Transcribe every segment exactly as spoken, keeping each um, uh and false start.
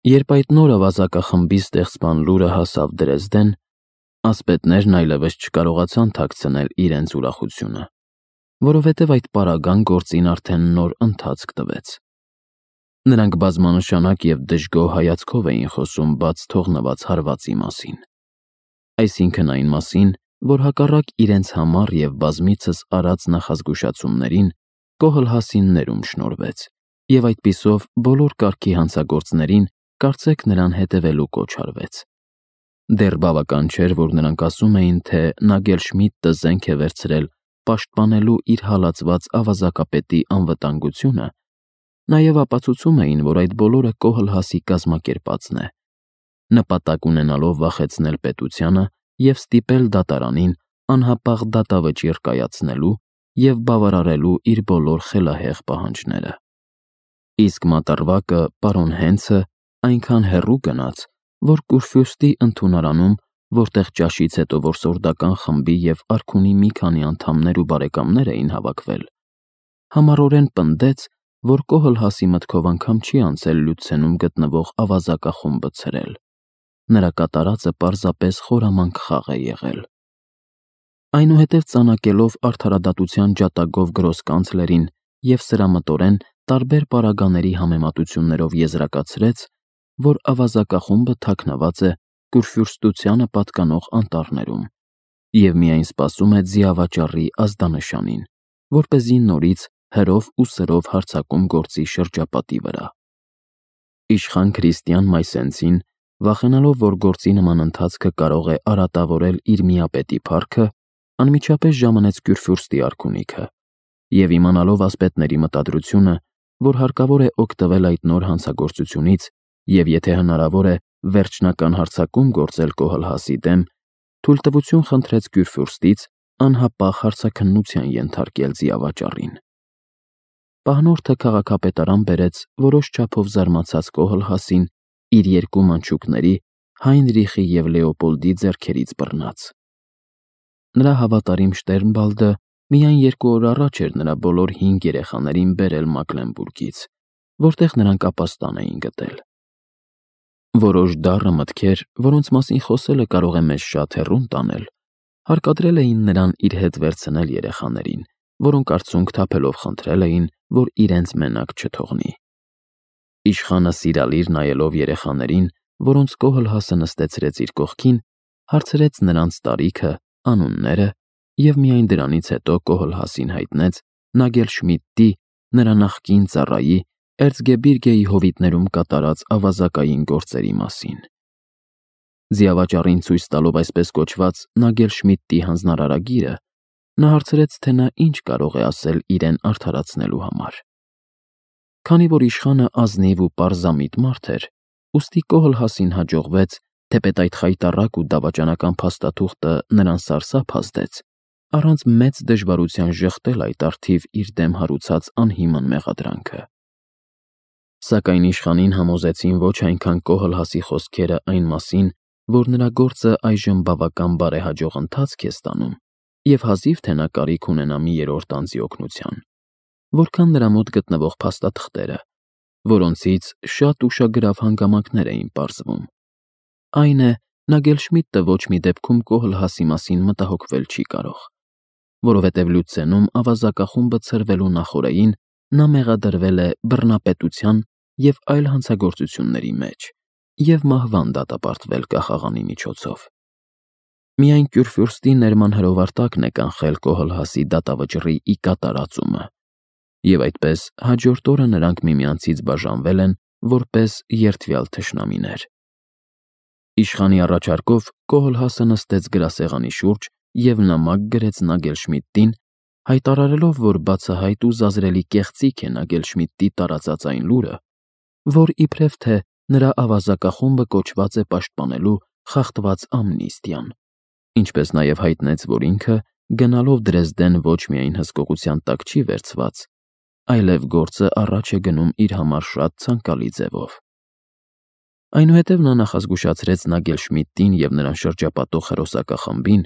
Երբ այդ նոր ավազակախմբի ստեղծման լուրը հասավ Դրեզդեն, ասպետներն այլևս չկարողացան թաքցնել իրենց ուրախությունը, որովհետև այդ պարագան գործին արդեն նոր ընթացք տվեց։ Նրանք բազմանշանակ և դժգոհ հայացքով էին խոսում բաց թողնված հարվածի մասին, այսինքն այն մասին, որ հակառակ իրենց համառ և բազմիցս արած նախազգուշացումներին Կոհլհասին ներում շնորհվեց, և այդպիսով բոլոր կարգի հանցագործներին կարծեք նրան հետևելու կոչ արվեց։ Դեռ բավական չէր, որ նրանք ասում էին, թե Նագելշմիդտը զենք է վերցրել պաշտպանելու իր հալածված ավազակապետի անվտանգությունը, նաև ապացուցում էին, որ այդ բոլորը Կոհլհասի կազմակերպածն է, նպատակ ունենալով վախեցնել պետությանը և ստիպել դատարանին անհապաղ դատավճիռ կայացնելու և բավարարելու իր բոլոր խելահեղ պահանջները։ Իսկ մատառվակը, պարոն Հենցը, այնքան հեռու գնաց, որ Կուրֆյուրստի ընդունարանում, որտեղ ճաշից հետո որսորդական խմբի և արքունի մի քանի անդամներ ու բարեկամներ էին հավաքվել, համառորեն պնդեց, որ Կոհլհասի մտքով անգամ չի անցել Լյուցենում գտնվող ավազակախումբը ցրել։ Նրա կատարածը պարզապես խորամանկ խաղ է եղել։ Այնուհետև ծանակելով արդարադատության ջատագով գրոսկանցլերին և սրամտորեն տարբեր պարագաների համեմատություններով եզրակացրեց, որ ավազակախումբը թաքնված է Կուրֆյուրստությանը պատկանող անտառներում և միայն սպասում է ձիավաճառի ազդանշանին, որպեսզի նորից հրով ու սրով հարձակում գործի շրջապատի վրա։ Իշխան Քրիստիան Մայսենցին, վախենալով, որ գործի նման ընթացքը կարող է արատավորել իր միապետի փառքը, անմիջապես ժամանեց Կյուրֆյուրստի արքունիքը և իմանալով ասպետների մտադրությունը, որ հարկավոր է օգտվել այդ նոր հանցագործությունից և եթե հնարավոր է վերջնական հարձակում գործել Կոհլհասի դեմ, թույլտվություն խնդրեց Կյուրֆյուրստից անհապաղ հարցաքննության ենթարկել ձիավաճառին։ Պահնորդը քաղաքապետարան բերեց որոշ չափով զարմացած Կոհլհասին իր երկու մանչուկների՝ Հայնրիխի և Լեոպոլդի ձեռքերից բռնած։ Նրա հավատարիմ Շտերնբալդը միայն երկու օր առաջ էր նրա բոլոր հինգ երեխաներին բերել Մակլենբուրգից, որտեղ նրանք ապաստան էին գտել։ Որոշ դառը մտքեր, որոնց մասին խոսելը կարող է մեզ շատ հեռուն տանել, հարկադրել էին նրան իր հետ վերցնել երեխաներին, որոնք արցունք թափելով խնդրել էին, որ իրենց մենակ չթողնի։ Իշխանը սիրալիր նայելով երեխաներին, որոնց Կոհլհասը նստեցրեց իր կողքին, հարցրեց նրանց տարիքը, անունները և միայն դրանից հետո Կոհլհասին հայտնեց Նագելշմիդտի, նրա նախկին ծառայի, էրծգեբիրգեի հովիտներում կատարած ավազակային գործերի մասին։ Ձիավաճառին ցույց տալով այսպես կոչված Նագելշմիդտի հանձնարարագիրը, նա հարցրեց, թե նա ինչ կարող է ասել իրեն արդարացնելու համար։ Քանի որ իշխանը ազնիվ ու պարզամիտ մարդ էր, ուստի Կոհլհասին հաջողվեց, թեպետ այդ խայտառակ ու դավաճանական փաստաթուղթը նրան սարսափ ազդեց, առանց մեծ դժվարության ժխտել այդ առթիվ իր դեմ հարուցած անհիմն մեղադրանքը։ Սակայն իշխանին համոզեցին ոչ այնքան Կոհլհասի խոսքերը այն մասին, որ նրա գործը այժմ բավական բարեհաջող ընթացք է ստանում և հազիվ թե նա կարիք ունենա մի երրորդ անձի օգնության, որքան նրա մոտ գտնվող փաստաթղթերը, որոնցից շատ ուշագրավ հանգամանքներ էին պարզվում։ Այն է, Նագելշմիդտը ոչ մի դեպքում Կոհլհասի մասին մտահոգվել չի կարող, որովհետև Լյուցենում ավազակախումբը ցրվելու նախօրեին նա մեղադրվել է բռնապետության և այլ հանցագործությունների մեջ և մահվան դատապարտվել կախաղանի միջոցով։ Միայն Կյուրֆյուրստի ներման հրովարտակն է կանխել Կոհլհասի դատավճռի ի կատարածումը, և այդպես հաջորդ օրը նրանք միմյանցից բաժանվել են որպես երդվյալ թշնամիներ։ Իշխանի առաջարկով Կոհլհասը նստեց գրասեղանի շուրջ և նամակ գրեց Նագելշմիդտին, հայտարարելով, որ բացահայտ ու զազրելի կեղծիք է Նագելշմիդտի տարածած այն լուրը, որ իբրև թե նրա ավազակախումբը կոչված է պաշտպանելու խախտված ամնիստիան, ինչպես նաև հայտնեց, որ ինքը գնալով Դրեզդեն ոչ միայն հսկողության տակ չի վերցված, այլև գործը առաջ է գնում իր համար շատ ցանկալի ձևով։ Այնուհետև նա նախազգուշացրեց Նագելշմիդտին և նրան շրջապատող հերոսակախմբին,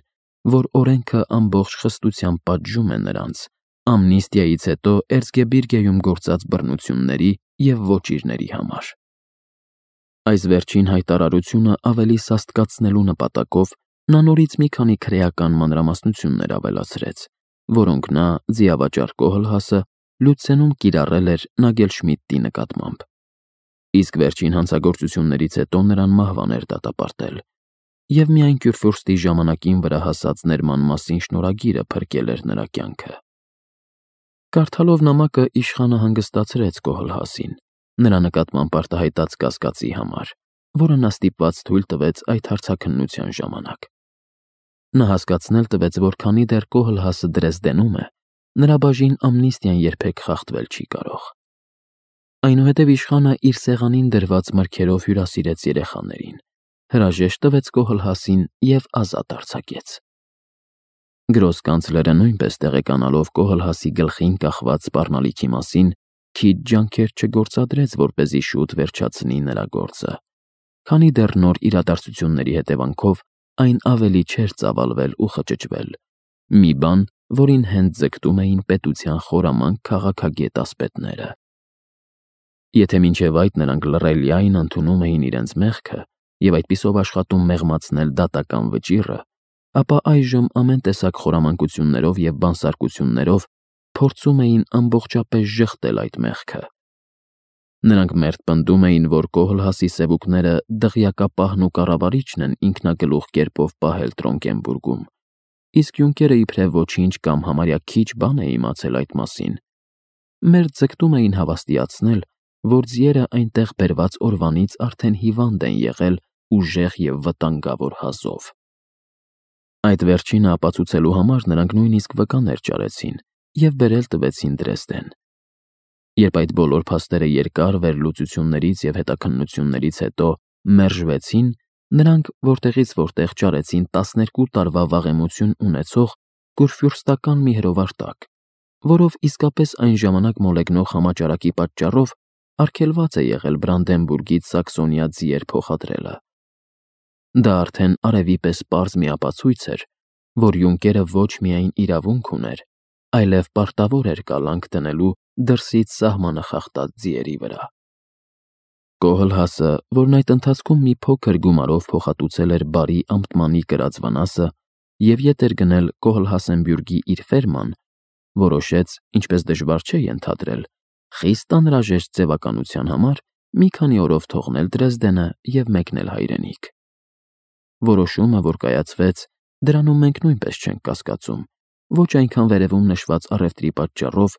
որ օրենքը ամբողջ խստությամբ պատժում է նրանց ամնիստիայից հետո Էրծգեբիրգեում գործած բռնությունների և ոճիրների համար։ Այս վերջին հայտարարությունը ավելի սաստկացնելու նպատակով նա նորից մի քանի քրեական մանրամասնություններ ավելացրեց, որոնք նա ձիավաճառ Կոհլհասը Լյուցենում կիրառել էր Նագելշմիդտի նկատմամբ։ Իսկ վերջին հանցագործություններից հետո նրան մահվան էր դատապարտել, և միայն Քյուրֆյուրստի ժամանակին վրա հասած ներման մասին շնորհագիրը փրկել էր նրա կյանքը։ Կարդալով նամակը իշխանը հանգստացրեց Կոհլհասին նրա նկատմամբ արտահայտած կասկածի համար, որը նա ստիպված թույլ տվեց այդ հարցաքննության ժամանակ։ Նա հասկացնել տվեց, որ քանի դեռ Կոհլհասը Դրեզդենում է, նրա բաժին ամնիստիան երբեք խախտվել չի կարող։ Այնուհետև իշխանը իր սեղանին դրված մրգերով հյուրասիրեց երեխաներին, հրաժեշտ տվեց Կոհլհասին և ազատ արձակեց։ Գրոսկանցլերը նույնպես տեղեկանալով Կոհլհասի գլխին կախված սպառնալիքի մասին, քիչ ջանքեր չգործադրեց, որպեսզի շուտ վերջացնի նրա գործը, քանի դեռ նոր իրադարձությունների հետևանքով այն ավելի չէր ծավալվել ու խճճվել, մի բան, որին հենց ձգտում էին պետության խորամանկ քաղաքագետ ասպետները։ Եթե մինչև այդ նրանք լռելիային ընդունում էին իրենց մեղքը և այդպիսով աշխատում մեղմացնել դատական վճիռը, ապա այժմ ամեն տեսակ խորամանկություններով և բանսարկություններով փորձում էին ամբողջապես ժխտել այդ մեղքը։ Նրանք մերթ պնդում էին, որ Կոհլհասի սևուկները դղյակապահն ու կառավարիչն են ինքնագլուխ կերպով պահել Տրոնկենբուրգում, իսկ Յունկերը իբրև ոչինչ կամ համարյա քիչ բան է իմացել այդ մասին։ Մերթ ձգտում էին հավաստիացնել, որ ձիերը այնտեղ բերված օրվանից արդեն հիվանդ են եղել ուժեղ և վտանգավոր հազով։ Այդ վերջինը ապացուցելու համար նրանք նույնիսկ վկաներ ճարեցին և բերել տվեցին Դրեզդեն։ Երբ այդ բոլոր փաստերը երկար վերլուծություններից և հետաքննություններից հետո մերժվեցին, նրանք որտեղից որտեղ ճարեցին տասներկու տարվա վաղեմություն ունեցող քուրֆյուրստական մի հրովարտակ, որով իսկապես այն ժամանակ մոլեգնող համաճարակի պատճառով արգելված է եղել Բրանդենբուրգից Սաքսոնիա ձիեր փոխադրելը։ Դա արդեն արևի պես պարզ մի ապացույց էր, որ Յունկերը ոչ միայն իրավունք ուներ, այլև պարտավոր էր կալանք դնելու դրսից սահմանը խախտած ձիերի վրա։ Կոհլհասը, որն այդ ընթացքում մի փոքր գումարով փոխհատուցել էր բարի ամտմանի կրած վնասը և ետ էր գնել Կոհլհասենբյուրգի իր ֆերման, որոշեց, ինչպես դժվար չէ ենթադրել, խիստ անհրաժեշտ ձևականության համար մի քանի օրով թողնել Դրեզդենը և մեկնել հայրենիք։ Որոշումը, որ կայացվեց, դրանում մենք նույնպես չենք կասկածում, ոչ այնքան վերևում նշված առևտրի պատճառով,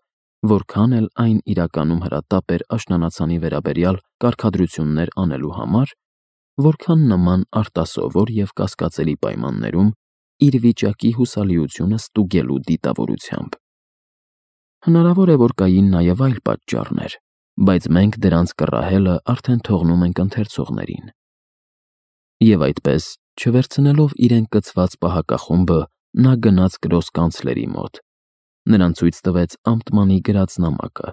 որքան էլ այն իրականում հրատապ էր աշնանացանի վերաբերյալ կարգադրություններ անելու համար, որքան նման արտասովոր և կասկածելի պայմաններում իր վիճակի հուսալիությունը ստուգելու դիտավորությամբ։ Հնարավոր է, որ կային նաև այլ պատճառներ, բայց մենք դրանց կռահելը արդեն թողնում ենք ընթերցողներին։ Եվ այդպես, չվերցնելով իրեն կցված պահակախումբը, նա գնաց գրոսկանցլերի մոտ, նրան ցույց տվեց ամտմանի գրած նամակը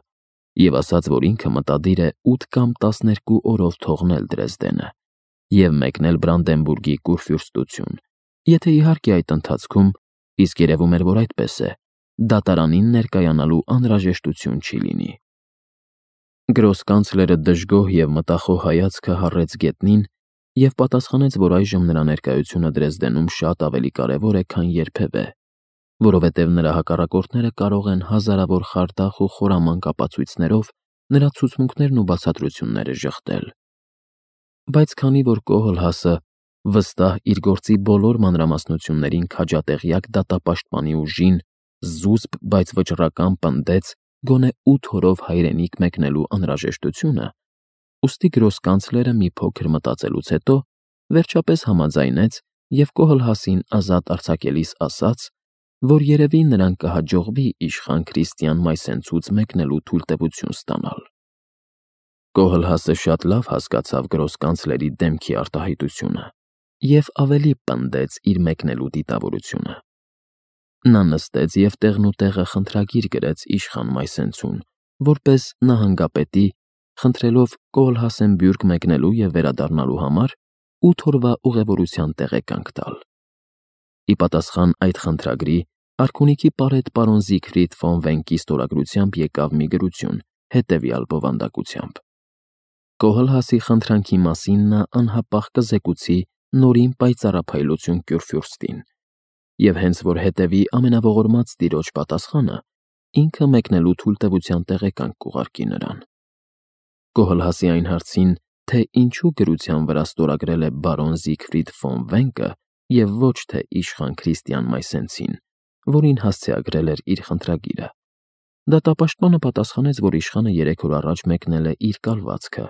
և ասաց, որ ինքը մտադիր է ութ կամ տասներկու օրով թողնել Դրեզդենը և մեկնել Բրանդենբուրգի քուրֆյուրստություն, եթե իհարկե այդ ընթացքում, իսկ երևում էր, որ այդպես է, դատարանին ներկայանալու անհրաժեշտություն չի լինի։ Գրոսկանցլերը դժգոհ և մտախոհ հայացքը հառեց գետնին և պատասխանեց, որ այժմ նրա ներկայությունը Դրեզդենում շատ ավելի կարևոր է, քան երբևէ, որովհետև նրա հակառակորդները կարող են հազարավոր խարդախ ու խորամանկ ապացույցներով նրա ցուցմունքներն ու բացատրությունները ժխտել։ Բայց քանի որ Կոհլհասը վստահ իր գործի բոլոր մանրամասնություններին քաջատեղյակ դատապաշտպանի ուժին զուսպ, բայց վճռական պնդեց գոնե ութ օրով հայրենիք մեկնելու անհրաժեշտությունը, ուստի գրոսկանցլերը մի փոքր մտածելուց հետո վերջապես համաձայնեց և Կոհլհասին ազատ արձակելիս ասաց, որ երևի նրան կհաջողվի իշխան Քրիստիան Մայսենցուց մեկնելու թույլտվություն ստանալ։ Կոհլհասը շատ լավ հասկացավ գրոսկանցլերի դեմքի արտահայտությունը և ավելի պնդեց իր մեկնելու դիտավորությունը։ Նա նստեց և տեղնուտեղը խնդրագիր գրեց իշխան Մայսենցուն, որպես նահանգապետի, խնդրելով Կոհլհասենբյուրգ մեկնելու և վերադառնալու համար ութ օրվա ուղևորության տեղեկանք տալ։ Ի պատասխան այդ խնդրագրի արքունիքի պարետ պարոն Զիգֆրիդ ֆոն Վենկի ստորագրությամբ եկավ մի գրություն հետևյալ բովանդակությամբ. Կոհլհասի խնդրանքի մասին նա անհապաղ կզեկուցի նորին պայծառափայլություն Կյուրֆյուրստին, և հենց որ հետևի ամենաողորմած տիրոջ պատասխանը, ինքը մեկնելու թույլտվության տեղեկանք կուղարկի նրան։ Կոհլհասի այն հարցին, թե ինչու գրության վրա ստորագրել է բարոն Զիգֆրիդ ֆոն Վենկը և ոչ թե իշխան Քրիստիան Մայսենցին, որին հասցեագրել էր իր խնդրագիրը, դատապաշտպանը պատասխանեց, որ իշխանը երեք օր առաջ մեկնել է իր կալվածքը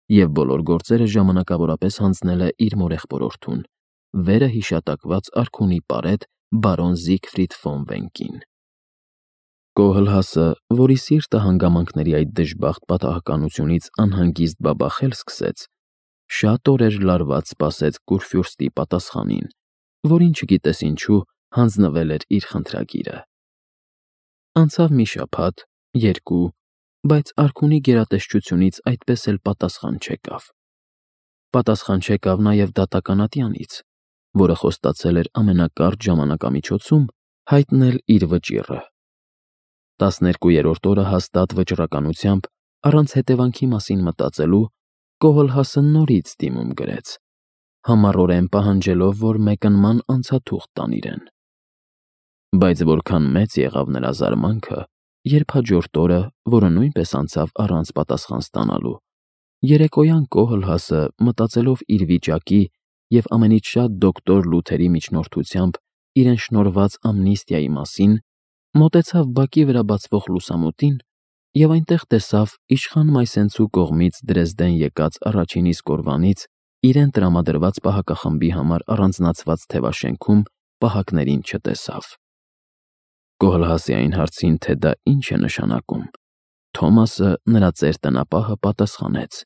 և բոլոր գործերը ժամանակավորապես հանձնել է իր մորեղբորորդուն, վերը հիշատակված արքունի պարետ բարոն Զիգֆրիդ ֆոն Վենկին։ Կոհլհասը, որի սիրտը հանգամանքների այդ դժբախտ պատահականությունից անհանգիստ բաբախել սկսեց, շատ օրեր լարված սպասեց Կուրֆյուրստի պատասխանին, որին չգիտես ինչու հանձնվել էր իր խնդրագիրը։ Անցավ մի շաբաթ, երկու, բայց արքունի գերատեսչությունից այդպես էլ պատասխան չեկավ։ Պատասխան չեկավ նաև դատականատյանից, որը խոստացել էր ամենակարճ ժամանակամիջոցում հայտնել իր վճիռը։ Տասներկուերորդ օրը հաստատ վճռականությամբ, առանց հետևանքի մասին մտածելու, Կոհլհասը նորից դիմում գրեց, համառորեն պահանջելով, որ մեկնման անցաթուղթ տան իրեն։ Բայց որքան մեծ եղավ նրա զարմանքը, երբ հաջորդ օրը, որը նույնպես անցավ առանց պատասխան ստանալու, երեկոյան Կոհլհասը, մտածելով իր վիճակի և ամենից շատ դոկտոր Լութերի միջնորդությամբ իրեն շնորհված ամնիստիայի մասին, մոտեցավ բակի վրա բացվող լուսամուտին և այնտեղ տեսավ իշխան Մայսենցու կողմից Դրեզդեն եկած առաջին իսկ օրվանից իրեն տրամադրված պահակախմբի համար առանձնացված թևաշենքում պահակներին չտեսավ։ Կոհլհասի այն հարցին, թե դա ինչ է նշանակում, Թոմասը, նրա ծեր տնապահը, պատասխանեց.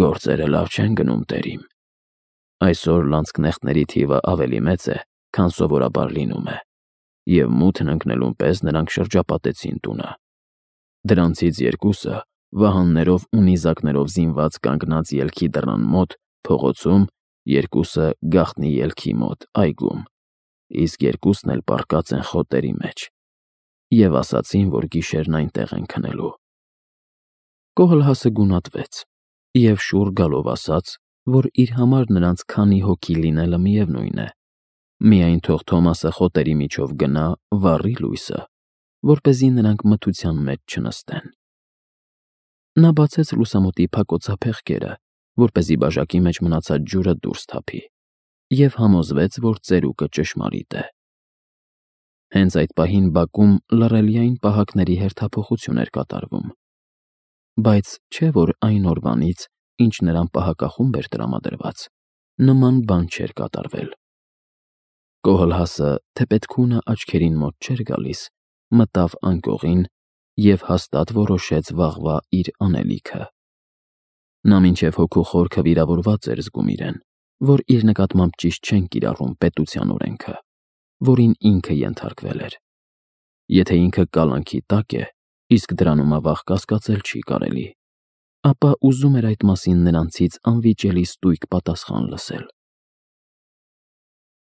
«Գործերը լավ չեն գնում, տերիմ։ Այսօր լանցքնեխտների թիվը ավելի մեծ է, քան սովորաբար լինում է, և մութն ընկնելուն պես նրանք շրջապատեցին տունը։ Դրանցից երկուսը վահաններով ու նիզակներով զինված կանգնած ելքի դռան մոտ, փողոցում, երկուսը գաղտնի ելքի մոտ, այգում, իսկ երկուսն էլ պառկած են խոտերի մեջ և ասացին, որ գիշերն այնտեղ են քնելու»։ Կոհլհասը գունատվեց և շուռ գալով ասաց, որ իր համար նրանց քանի հոգի լինելը միևնույն է, միայն թող Թոմասը խոտերի միջով գնա, վառի լույսը, որպեսզի նրանք մթության մեջ չնստեն։ Նա բացեց լուսամուտի փակոցափեղկերը, որպեսզի բաժակի մեջ մնացած ջուրը դուրս թափի, և համոզվեց, որ ծերուկը ճշմարիտ է։ Հենց այդ պահին բակում լռելիային պահակների հերթափոխություն էր կատարվում, բայց չէ՞ որ այն օրվանից, ինչ նրան պահակախումբ էր տրամադրված, նման բան չէր կատարվել։ Կոհլհասը, թեպետ քունը աչքերին մոտ չէր գալիս, մտավ անկողին և հաստատ որոշեց վաղվա իր անելիքը։ Նա մինչև հոգու խորքը վիրավորված էր զգում իրեն, որ իր նկատմամբ ճիշտ չեն կիրառում պետության օրենքը, որին ինքը ենթարկվել էր։ Եթե ինքը կալանքի տակ է, իսկ դրանում ավաղ կասկածել չի կարելի, ապա ուզում էր այդ մասին նրանցից անվիճելի ստույգ պատասխան լսել։